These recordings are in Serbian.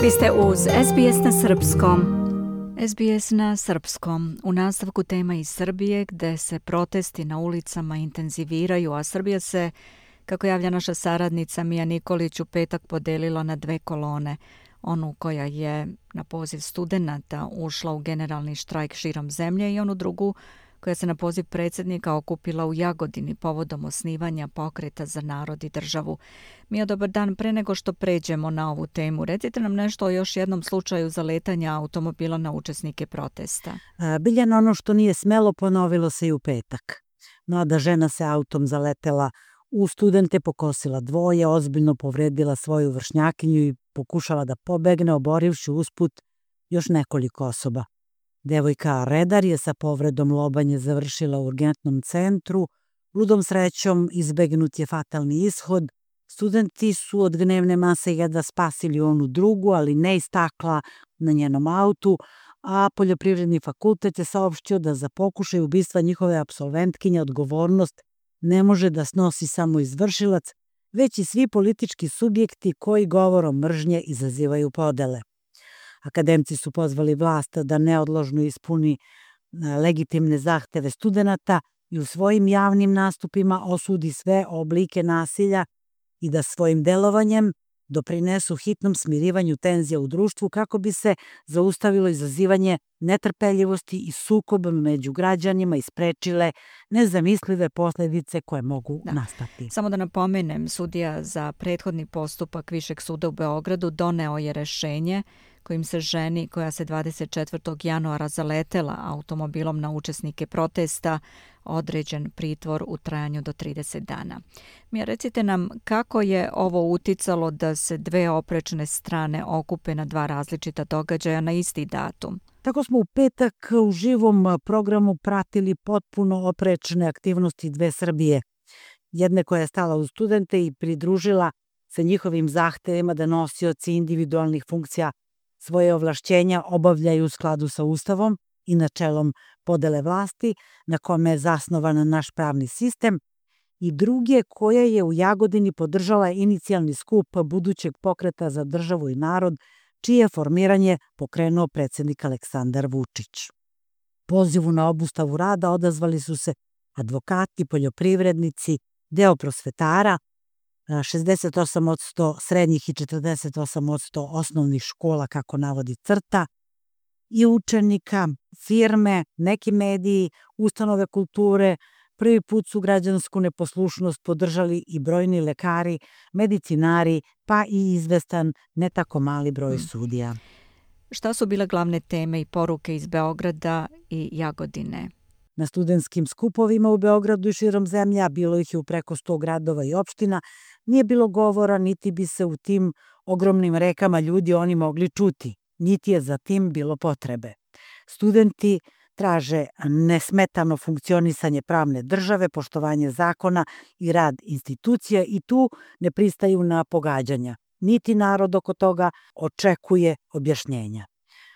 Vi ste uz SBS na Srpskom. SBS na Srpskom. U nastavku tema iz Srbije gdje se protesti na ulicama intenziviraju, a Srbija se, kako javlja naša saradnica Mija Nikolić, u petak podelila na dve kolone. Onu koja je na poziv studenata ušla u generalni štrajk širom zemlje i onu drugu koja se na poziv predsjednika okupila u Jagodini povodom osnivanja Pokreta za narod i državu. Mija, dobar dan. Pre nego što pređemo na ovu temu, recite nam nešto o još jednom slučaju zaletanja automobila na učesnike protesta. Biljana, ono što nije smelo ponovilo se i u petak. Mlada žena se autom zaletela u studente, pokosila dvoje, ozbiljno povredila svoju vršnjakinju i pokušala da pobegne, oborivši usput još nekoliko osoba. Devojka Redar je sa povredom lobanje završila u urgentnom centru. Ludom srećom izbegnut je fatalni ishod. Studenti su od gnevne mase jedva spasili onu drugu, ali ne iz stakla na njenom autu, a Poljoprivredni fakultet je saopštio da za pokušaj ubistva njihove apsolventkinje odgovornost ne može da snosi samo izvršilac, već i svi politički subjekti koji govorom mržnje izazivaju podele. Akademci su pozvali vlast da neodložno ispuni legitimne zahteve studenata i u svojim javnim nastupima osudi sve oblike nasilja i da svojim delovanjem doprinesu hitnom smirivanju tenzija u društvu kako bi se zaustavilo izazivanje netrpeljivosti i sukoba među građanima i sprečile nezamislive posljedice koje mogu nastati. Samo da napomenem, sudija za prethodni postupak Višeg suda u Beogradu doneo je rešenje kojim se ženi koja se 24. januara zaletela automobilom na učesnike protesta određen pritvor u trajanju do 30 dana. Mija, recite nam kako je ovo uticalo da se dve oprečne strane okupe na dva različita događaja na isti datum? Tako smo u petak u živom programu pratili potpuno oprečne aktivnosti dve Srbije. Jedne koja je stala uz studente i pridružila se njihovim zahtevima da nosioci individualnih funkcija svoje ovlašćenja obavljaju u skladu sa Ustavom i načelom podele vlasti na kome je zasnovan naš pravni sistem, i druge koja je u Jagodini podržala inicijalni skup budućeg Pokreta za državu i narod, čije je formiranje pokrenuo predsjednik Aleksandar Vučić. Pozivu na obustavu rada odazvali su se advokati, poljoprivrednici, deo prosvetara, 68% srednjih i 48% osnovnih škola, kako navodi CRTA, i učenika, firme, neki mediji, ustanove kulture. Prvi put su građansku neposlušnost podržali i brojni lekari, medicinari, pa i izvestan ne tako mali broj sudija. Šta su bile glavne teme i poruke iz Beograda i Jagodine? Na studentskim skupovima u Beogradu i širom zemlje, a bilo ih je u preko 100 gradova i opština, nije bilo govora, niti bi se u tim ogromnim rekama ljudi oni mogli čuti, niti je za tim bilo potrebe. Studenti traže nesmetano funkcionisanje pravne države, poštovanje zakona i rad institucija i tu ne pristaju na pogađanja. Niti narod oko toga očekuje objašnjenja.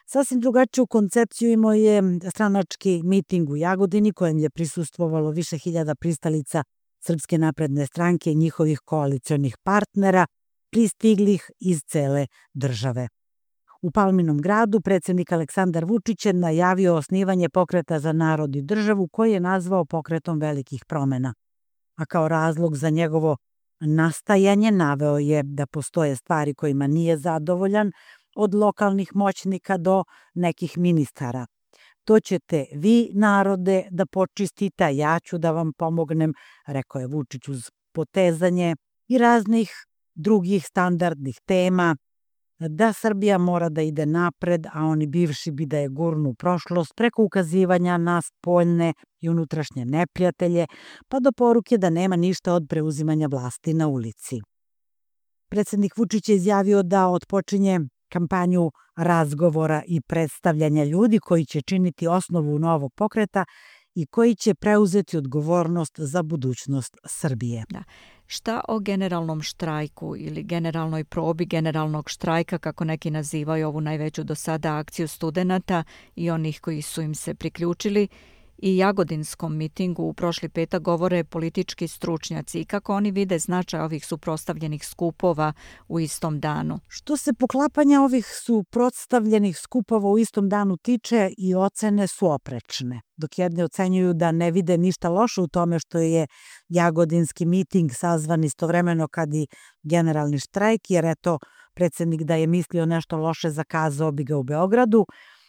Sasvim drugačiju koncepciju imao je stranački miting u Jagodini kojem je prisustvovalo više hiljada pristalica Srpske napredne stranke i njihovih koalicionih partnera, pristiglih iz cele države. U Palminom gradu predsjednik Aleksandar Vučić je najavio osnivanje Pokreta za narod i državu koji je nazvao Pokretom velikih promena. A kao razlog za njegovo nastajanje naveo je da postoje stvari kojima nije zadovoljan, od lokalnih moćnika do nekih ministara. To ćete vi, narode, da počistite, a ja ću da vam pomognem, rekao je Vučić uz potezanje i raznih drugih standardnih tema, da Srbija mora da ide napred, a oni bivši bi da je gurnu u prošlost preko ukazivanja na spoljne i unutrašnje neprijatelje, pa do poruke da nema ništa od preuzimanja vlasti na ulici. Predsjednik Vučić je izjavio da otpočinje kampanju razgovora i predstavljanja ljudi koji će činiti osnovu novog pokreta i koji će preuzeti odgovornost za budućnost Srbije. Da. Šta o generalnom štrajku ili generalnoj probi generalnog štrajka, kako neki nazivaju ovu najveću do sada akciju studenata i onih koji su im se priključili, i jagodinskom mitingu u prošli petak govore politički stručnjaci i kako oni vide značaj ovih suprotstavljenih skupova u istom danu. Što se poklapanja ovih suprotstavljenih skupova u istom danu tiče, i ocene su oprečne. Dok jedni ocenjuju da ne vide ništa loše u tome što je jagodinski miting sazvan istovremeno kad i generalni štrajk, jer eto, predsjednik da je mislio nešto loše zakazao bi ga u Beogradu,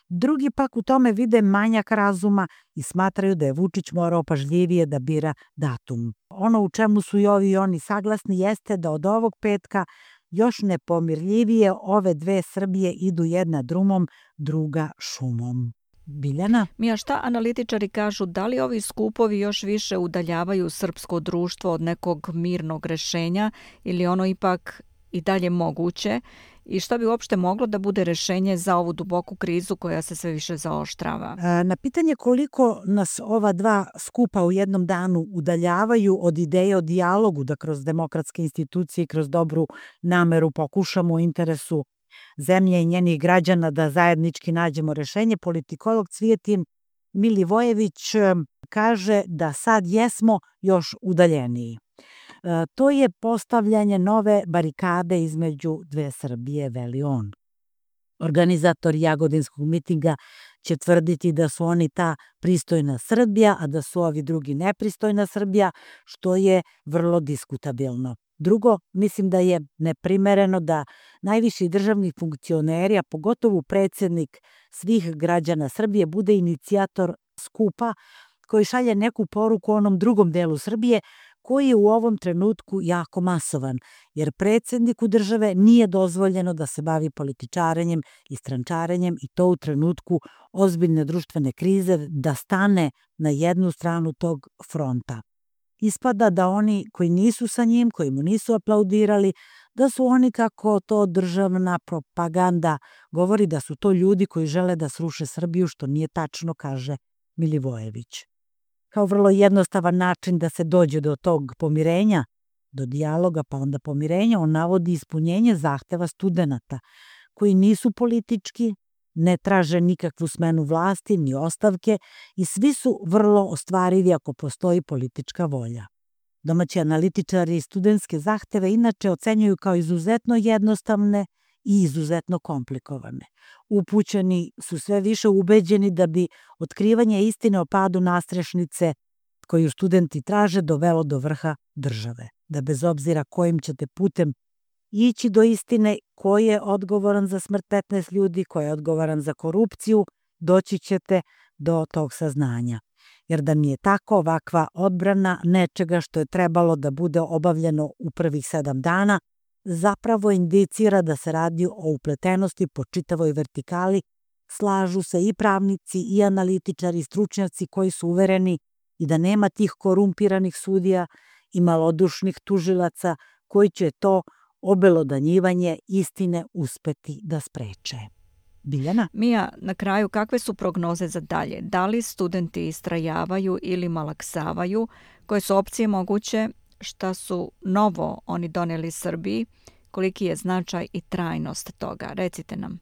drugi pak u tome vide manjak razuma i smatraju da je Vučić morao pažljivije da bira datum. Ono u čemu su i ovi i oni saglasni jeste da od ovog petka još nepomirljivije ove dve Srbije idu jedna drumom, druga šumom. Biljana? Mija, šta analitičari kažu, da li ovi skupovi još više udaljavaju srpsko društvo od nekog mirnog rešenja ili ono ipak i dalje moguće i šta bi uopšte moglo da bude rešenje za ovu duboku krizu koja se sve više zaoštrava? Na pitanje koliko nas ova dva skupa u jednom danu udaljavaju od ideje o dijalogu, da kroz demokratske institucije i kroz dobru nameru pokušamo u interesu zemlje i njenih građana da zajednički nađemo rešenje, politikolog Cvijetin Milivojević kaže da sad jesmo još udaljeniji. To je postavljanje nove barikade između dve Srbije, veli on. Organizatori jagodinskog mitinga će tvrditi da su oni ta pristojna Srbija, a da su ovi drugi nepristojna Srbija, što je vrlo diskutabilno. Drugo, mislim da je neprimereno da najviši državni funkcioneri, a pogotovo predsjednik svih građana Srbije, bude inicijator skupa koji šalje neku poruku onom drugom delu Srbije koji je u ovom trenutku jako masovan, jer predsjedniku države nije dozvoljeno da se bavi političarenjem i strančarenjem i to u trenutku ozbiljne društvene krize, da stane na jednu stranu tog fronta. Ispada da oni koji nisu sa njim, koji mu nisu aplaudirali, da su oni, kako to državna propaganda govori, da su to ljudi koji žele da sruše Srbiju, što nije tačno, kaže Milivojević. Kao vrlo jednostavan način da se dođe do tog pomirenja, do dijaloga, pa onda pomirenja, on navodi ispunjenje zahteva studenata, koji nisu politički, ne traže nikakvu smenu vlasti, ni ostavke i svi su vrlo ostvarivi ako postoji politička volja. Domaći analitičari studentske zahteve inače ocenjuju kao izuzetno jednostavne i izuzetno komplikovane. Upućeni su sve više ubeđeni da bi otkrivanje istine o padu nastrešnice koju studenti traže dovelo do vrha države. Da bez obzira kojim ćete putem ići do istine, ko je odgovoran za smrt 15 ljudi, ko je odgovoran za korupciju, doći ćete do tog saznanja. Jer da mi je tako ovakva odbrana nečega što je trebalo da bude obavljeno u prvih 7 dana, zapravo indicira da se radi o upletenosti po čitavoj vertikali, slažu se i pravnici i analitičari i stručnjaci koji su uvereni i da nema tih korumpiranih sudija i malodušnih tužilaca koji će to obelodanjivanje istine uspeti da spreče. Biljana? Mija, na kraju kakve su prognoze za dalje? Da li studenti istrajavaju ili malaksavaju? Koje su opcije moguće? Šta su novo oni doneli Srbiji? Koliki je značaj i trajnost toga? Recite nam.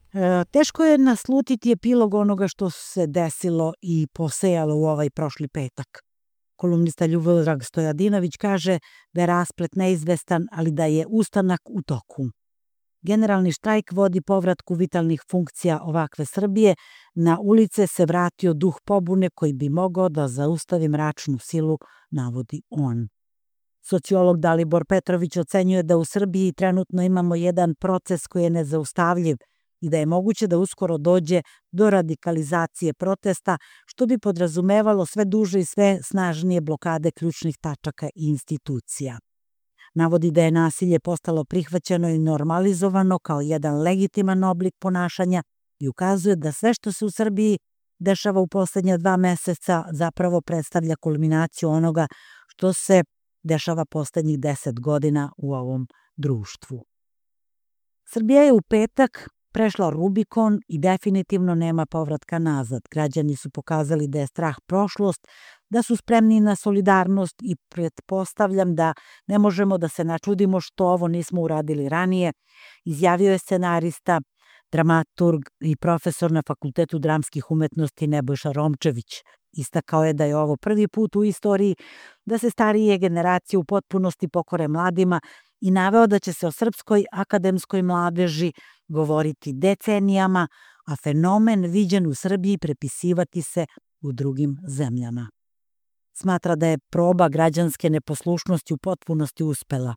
Teško je naslutiti epilog onoga što se desilo i posejalo u ovaj prošli petak. Kolumnista Ljubodrag Stojadinović kaže da je rasplet neizvestan, ali da je ustanak u toku. Generalni štrajk vodi povratku vitalnih funkcija ovakve Srbije. Na ulice se vratio duh pobune koji bi mogao da zaustavi mračnu silu, navodi on. Sociolog Dalibor Petrović ocenjuje da u Srbiji trenutno imamo jedan proces koji je nezaustavljiv i da je moguće da uskoro dođe do radikalizacije protesta, što bi podrazumevalo sve duže i sve snažnije blokade ključnih tačaka i institucija. Navodi da je nasilje postalo prihvaćeno i normalizovano kao jedan legitiman oblik ponašanja i ukazuje da sve što se u Srbiji dešava u poslednja 2 meseca zapravo predstavlja kulminaciju onoga što se dešava poslednjih 10 godina u ovom društvu. Srbija je u petak prešla Rubikon i definitivno nema povratka nazad. Građani su pokazali da je strah prošlost, da su spremni na solidarnost i pretpostavljam da ne možemo da se načudimo što ovo nismo uradili ranije, izjavio je scenarista, dramaturg i profesor na Fakultetu dramskih umetnosti Nebojša Romčević. Istakao je da je ovo prvi put u istoriji da se starije generacije u potpunosti pokore mladima i naveo da će se o srpskoj akademskoj mladeži govoriti decenijama, a fenomen viđen u Srbiji prepisivati se u drugim zemljama. Smatra da je proba građanske neposlušnosti u potpunosti uspela.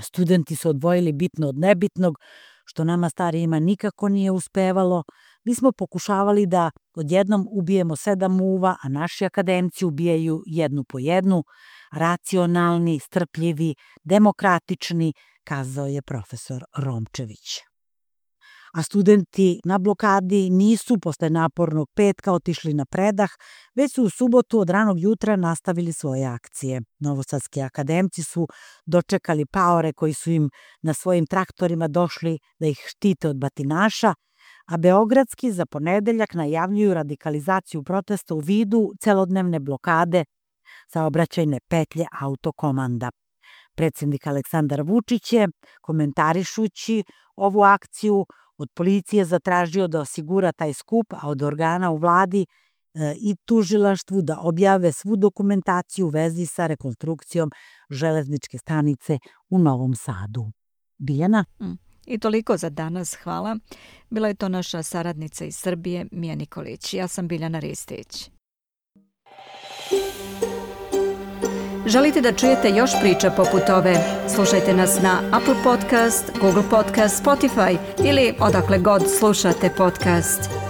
Studenti su odvojili bitno od nebitnog, što nama starijima nikako nije uspevalo. Mi smo pokušavali da odjednom ubijemo 7 muva, a naši akademci ubijaju jednu po jednu, racionalni, strpljivi, demokratični, kazao je profesor Romčević. A studenti na blokadi nisu posle napornog petka otišli na predah, već su u subotu od ranog jutra nastavili svoje akcije. Novosadski akademci su dočekali paore koji su im na svojim traktorima došli da ih štite od batinaša, a beogradski za ponedeljak najavljuju radikalizaciju protesta u vidu celodnevne blokade saobraćajne petlje autokomanda. Predsjednik Aleksandar Vučić je, komentarišući ovu akciju, od policije zatražio da osigura taj skup, a od organa u vladi i tužilaštvu da objave svu dokumentaciju u vezi sa rekonstrukcijom železničke stanice u Novom Sadu. Biljana? I toliko za danas, hvala. Bila je to naša saradnica iz Srbije, Mija Nikolić. Ja sam Biljana Ristić. Želite da čujete još priča poput ove? Slušajte nas na Apple Podcast, Google Podcast, Spotify ili odakle god slušate podcast.